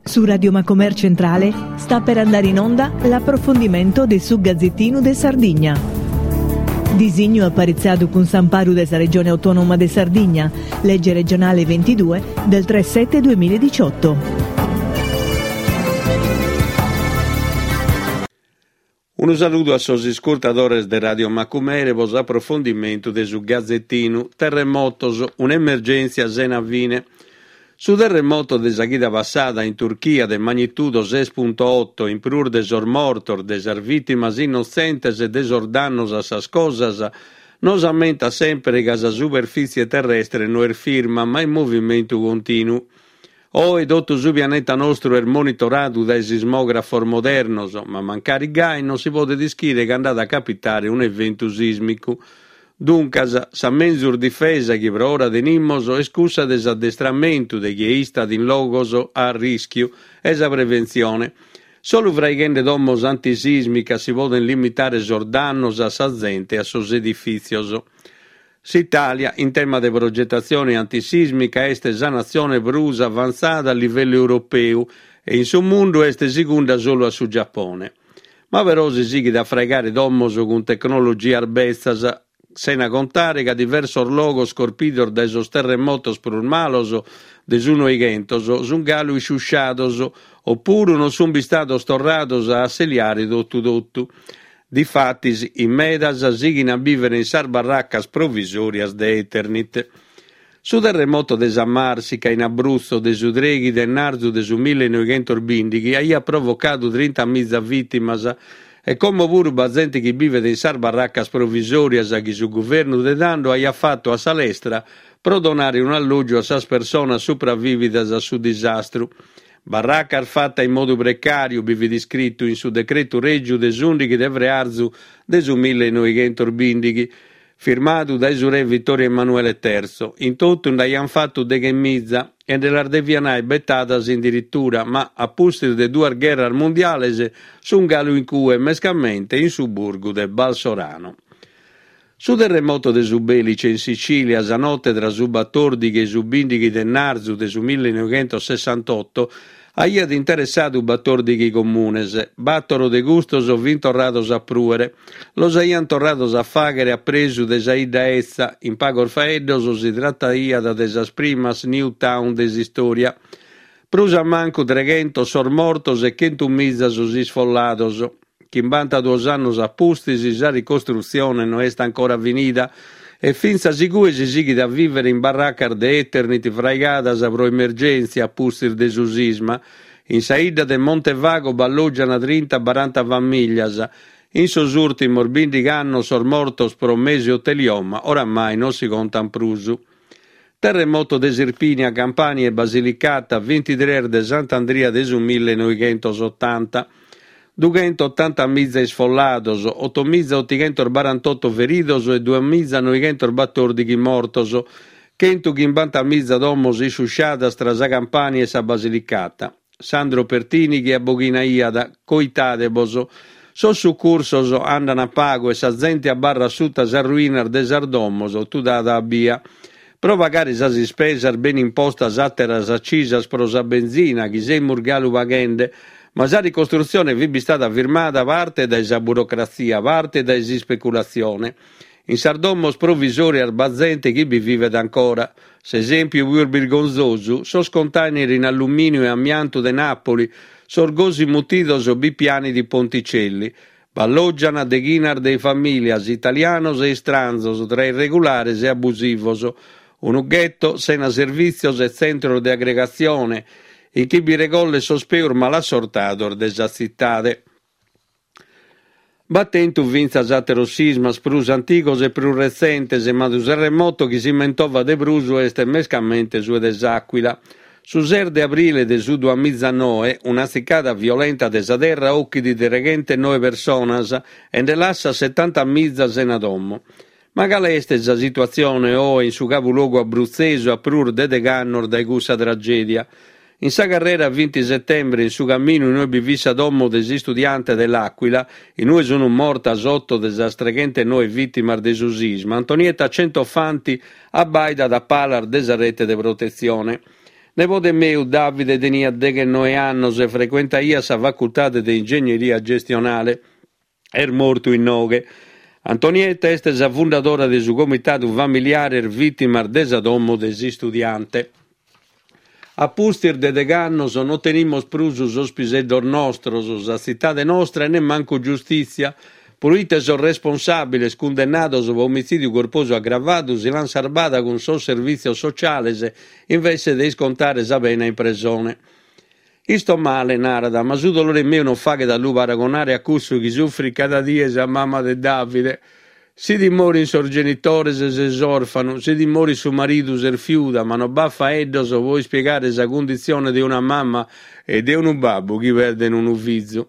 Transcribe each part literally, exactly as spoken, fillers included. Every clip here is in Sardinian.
Su Radio Macomer Centrale sta per andare in onda l'approfondimento de su Gazzettinu de Sardigna. Disignu aparitzadu cun s'amparu de sa Regione Autonoma de Sardigna, legge regionale ventidue del tre sette duemiladiciotto. Unu saludu a sos iscurtadores de Radio Macumere pro s'aprofondimentu de su Gazettinu. Terremotos, un'emergèntzia sena fine. Su terremoto de sa chida passada in Turchia de magnitudo ses punto otto, in prus de sos mortos, de sas vìtimas innotzentes e de sos dannos a sas cosas, nos ammentat semper ca sa superfìtzie terrestre no est firma, ma in movimentu continu. Oe totu su pianeta nostru est monitoradu dae sismògrafos modernos, ma mancari gai non si podet ischire cando at a capitare un'eventu sìsmicu. Duncas, sa menzus difesa chi pro ora tenimos est cussa de s'addestramentu de chie istat in logos a arrischiu e sa preventzione. Solu fraighende domos antisìsmicas si podent limitare sos dannos a sa zente e a sos edifìtzios. S'Itàlia, in tema de progetatzione antisìsmica, est sa natzione prus avantzada a livellu europeu e in su mundu est segunda solu a su Giapone. Ma però si sighit a fraigare domos cun tecnologias betzas, sena contare ca diversos logos corpidos dae sos terremotos prus malos de su Noighentos sunt galu isciusciados opuru non sunt bistados torrados a asseliare totu totu. Difatis, in medas sighin a bìvere in sas barracas provisòrias de Eternit. Su terremoto de sa Marsica in Abruzzo de su treghi de ennarzu de su millenoighentos bìndighi aiat provocadu trinta miza vìtimas e como puru b'at zente chi bivet in sas barracas provisòrias chi su guvernu de tando aiat fatu a sa lestra pro donare un'allògiu a sas personas supravìvidas a su disastru. Barracas fata in modu precàriu, bi fit iscritu in su decretu règiu de s'ùndighi de frearzu de su millenoighentos bìndighi, firmadu dae su re Vittorio Emanuele terzo. In totu nd'aiant fatu deghe miza e nde las deviant aer betadas in dirittura, ma a pustis de duas gherras mundiales sunt galu in cue, mescamente in su burgu de Balsorano. Su terremoto de su Belice in Sicilia, sa note tra su batòrdighi e su bìndighi de ennarzu de su millenoighentos sessantotto, aiat interessadu batòrdighi comunes. Bàtoro de custos fint torrados a prùere. Los aiant torrados a fàghere a presu de sa 'idda etza. In pagos faeddos si trataiat de sas primas New Town de s'istòria. Prus a mancu treghentos sos mortos e chentu miza sos isfollados. Chimbantaduos annos a pustis sa ricostrutzione no est ancora finida e fintzas igue si sighit a vìvere in barracas de Eternit fraigadas pro emergèntzia a pustis de su sisma. In sa 'idda de Montevago b'allògiant trinta baranta famìllias. In sos ùrtimos bìndighi annos sos mortos pro mesotelioma oramai non si contant prus. Terremoto de Sirpinia, Campania e Basilicata, bintitrès de Sant'Andria de su millenoighentos otanta. Dughentotanta miza isfollados, otomiza otighentos barantotto feridos e duamiza noighentos batòrdighi mortos, chentu chimbanta miza domos isciusciadas tra sa Campania e sa Basilicata. Sandro Pertini chi abboghinaiat, Coitadebos, sos sucursos andan a pagu e sa zente abarrat suta sas ruinas de sas domos tudada a bia. Pro pagare sas ispesas ben impostas àteras acisas pro sa benzina chi semus galu paghende, ma sa ricostrutzione fit bistada firmada parte dae sa burocratzia, parte dae s'ispeculatzione. In sas domos provisòrias b'at zente chi bi vivet ancora. S'esèmpiu pius birgonzosu, sos container in allumìniu e amiantu de Nàpoli, sos gosi mutidos bipiani di Ponticelli. B'allògiant deghinas de famìlias, italianos e istranzos, tra irregulares e abusivos. Unu ghetto sena servìtzios e tzentros de agregatzione, in chi bi regollet sos peus malassortados de sa tzitade. B'at tentu fintzas àteros sismas prus antigos e prus retzentes, ma su terremoto chi si mentovat de prus est mescamente su de s'Àcuila. Su ses de abrile de su duamizanoe, un'atzicada violenta de sa terra ochit treghentonoe personas e nde lassat setanta miza sena domo. Ma cale est sa situatzione oe in su cabulogu abrutzesu a prus de deg'annos dae cussa tragèdia? In sa carrera vinti settembre, in su caminu in ue bi fit sa domo de s'istudiante de L'Aquila, in ue sunt mortas otto de sas treghentonoe vìtimas de su sisma, Antonietta Centofanti abbaidat a palas de sa rete de protetzione. Nebode meu Davide teniat deghennoe annos e frecuentaiat sa facultade de ingegneria gestionale. Est mortu inoghe. Antonietta est sa fundadora de su Comitadu Familiares Vìtimas de sa Domo de s'Istudiante. A pustis de deghe annos non tenimus prus sos piseddos nostros, sa tzitade nostra e nemmancu giustìtzia, proite sos responsàbiles cundennados pro omitzìdiu corposu agravadu si l'ant sarbada cun sos servìtzios sociales invece de iscontare sa pena in presone. Isto male, narat, ma su dolore meu non faghet a lu paragonare a cussu chi sufrit cada die sa mama de Davide. Si ti morin sos genitores ses òrfanu, si ti morit su maridu ses fiuda, ma non b'at faeddos pro ispiegare sa cunditzione de una mama e de unu babbu chi perden unu fizu.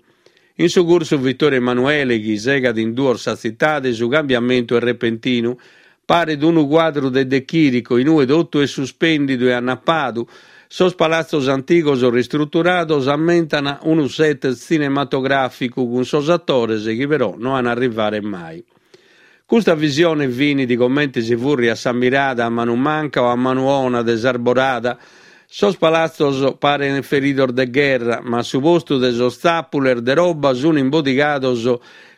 In su cursu Vittorio Emanuele, chi segat in duos sa tzitade, su cambiamentu est repentinu. Paret unu cuadru de De Chirico, in ue totu est suspèndidu e annapadu. Sos palatzos antigos ristruturados ammentan unu set tzinematogràficu cun sos atores chi però no an a arrivare mai. Custa visione finit comente si fùrriat sa mirada a manu manca o a manu ona de s'arborada. Sos palatzos paren feridos de gherra, ma a su postu de sos tzàpules de roba sun imbodigados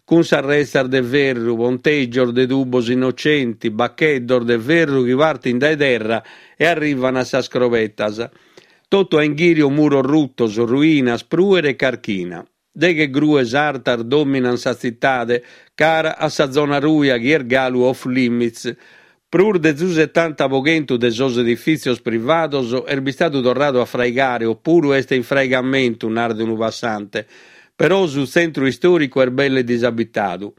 cun sas retzas de ferru, pontègios de tubos innocenti, bacheddos de ferru chi partin dae terra e arrivan a sas crobetas. Totu a inghìriu muros rutos, ruinas, prùere e carchina. Deghe grues artas dòminan sa tzitade, cara a sa zona ruja chi est galu off limits. Prus de su setanta pro chentu de sos edifìtzios privados est bistadu torradu a fraigare opuru est in fraigamentu, narat unu passante. Però su tzentru istòricu est belle disabitadu.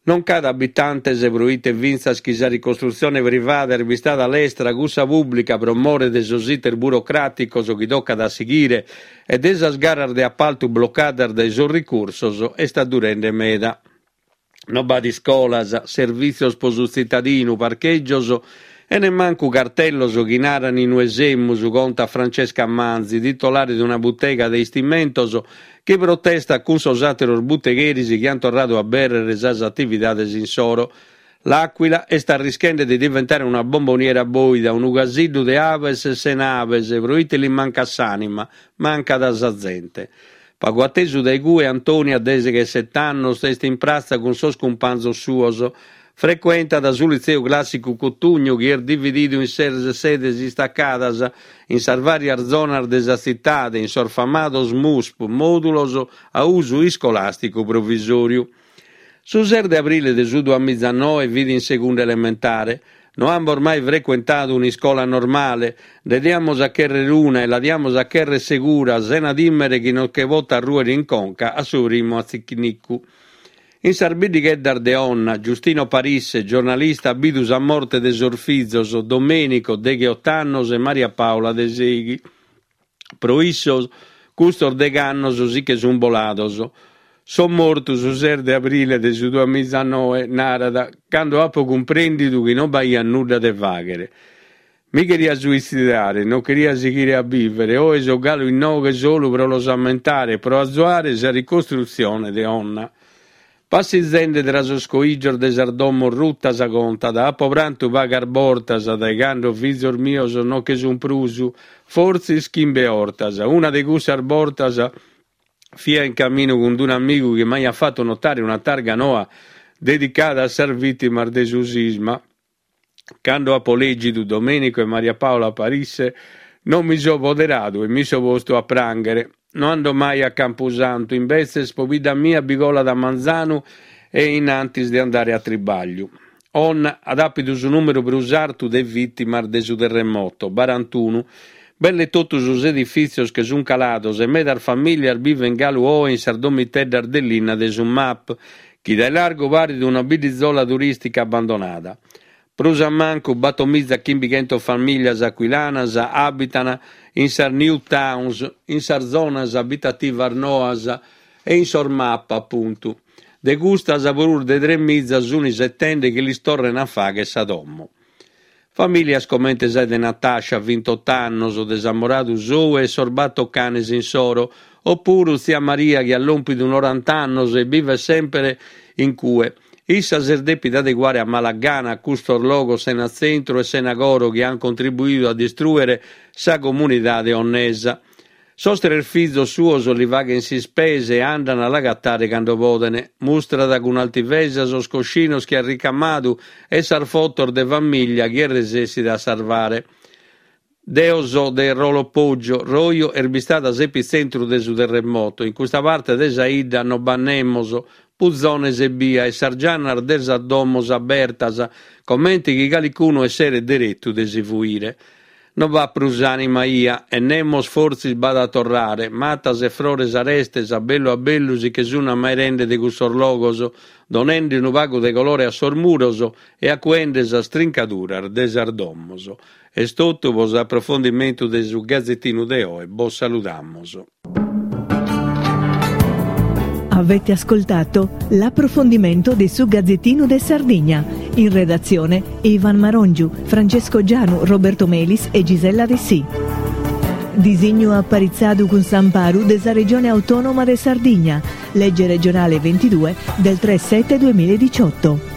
Non ch'at abitantes proite fintzas chi sa ricostrutzione privada est bistada lestra, cussa pùblica pro more de sos iter burocràticos chi tocat a sighire e de sas garas de apaltu blocadas dae sos ricursos est addurende meda. Non b'at iscolas, servìtzios pro su tzitadinu, parchègios e nemmancu cartellos chi naran in ue semus, contat Francesca Manzi, titolare de una butega de istimentos chi protestat cun sos àteros butegheris chi ant torradu a abèrrere sas atividades insoro. L'Aquila est arrischende de diventare una bomboniera bòida, unu casiddu de abes sena abes, proite li mancat s'ànima, mancat sa zente. Pagu atesu dae cue Antonia, deghesete annos, est in pratza cun sos cumpanzos suos. Frecuentat su litzeu clàssicu Cotugno, chi est divididu in ses sedes istacadas in sas vàrias zonas de sa tzitade, in sos famados MUSP, mòdulos a usu iscolàsticu provisòriu. Su ses de abrile de su duamìgianoe fit in segunda elementare. No amus mai frecuentadu un'iscola normale, nde diamus a chèrrere una e la diamus a chèrrere segura, sena tìmere chi nos che potat rùere in conca a su primu atzicnicu. In sas biddigheddas de Onna, Giustino Parisse, giornalista, at bidu sa morte de sos fizos, Domenico, degheoto annos, e Maria Paola, de sèighi. Pro issos, custos deghe annos si che sunt bolados. So mortu su ses de abrile de su duamìgianoe, narat, cando apo cumprèndidu chi non b'aiat nudda de fàghere. Mi cheria suitzidare, non cheria sighire a bìvere, oe so galu inoghe solu pro los ammentare e pro azuare sa ricostrutzione de Onna. Passizende tra sos coìgios de sas domos rutas, contat, apo prantu pagas bortas dae cando fizos mios non che sunt prus, fortzis chimbe 'ortas. Una de cussas bortas fia in caminu cun un'amigu chi m'aiat fatu notare una targa noa dedicada a sas vìtimas de su sisma. Cando apo lègidu Domenico e Maria Paola Parisse, non mi so poderadu e mi so postu a prànghere. No ando mai a Campusantu, imbetzes pobidda mia bi colat a manzanu e in antis de andare a tribàgliu. Onna at àpidu su nùmeru prus artu de vìtimas de su terremoto, barantunu. Belle totu sos edifìtzios che sunt calados e medas famìlias bivent galu oe in sas domiteddas de linna de su MAP, chi dae largu paret una bidditzola turìstica abbandonada. Prus a mancu bator mìgia chimbichentos famìlias aquilanas abitan in sas new towns, in sas zonas abitativas noas e in sos MAP, apuntu. De custas, prus de tres mìgia sunt isetende chi lis torren a fàghere sa domo. Famìlias comente sa de Natascia, vintotto annos, de s'amoradu sou e sos bator canes insoro, opuru tzia Maria chi at lòmpidu noranta annos e bivet semper in cue. Issa s'est dèpida adeguare a mala gana a custos logos sena tzentru e sena coro chi ant contribuidu a distrùere sa comunidade onnesa. Sos tres fizos suos li faghent s'ispesa e andan a l'agatare cando poden. Mustrat cun altivesa sos coscinos chi at ricamadu e sas fotos de famìllia chi est resessida a sarvare. Deo so de Rolo Poggio, Roio est bistada s'epitzentru de su terremoto, in custa parte de sa 'idda no b'at nemos, puzones ebbia e sas giannas de sas domos abertas, comente chi calicunu esseret deretu de si fuire. No b'at prus ànima 'ia e nemos fortzis b'at a torrare, matas e frores arestes a bellu a bellu si che sun ammairende de cussos logos, donende unu pagu de colore a sos muros e acuende sas trincaduras de sas domos. Est totu pro s'aprofondimentu de su Gazetinu de oe, bos saludamus. Avete ascoltato l'approfondimento di su Gazzettino de Sardigna. In redazione Ivan Marongiu, Francesco Gianu, Roberto Melis e Gisella Dessì. Disignu aparitzadu cun s'amparu de sa Regione Autonoma de Sardigna. Legge regionale ventidue del tre sette duemiladiciotto.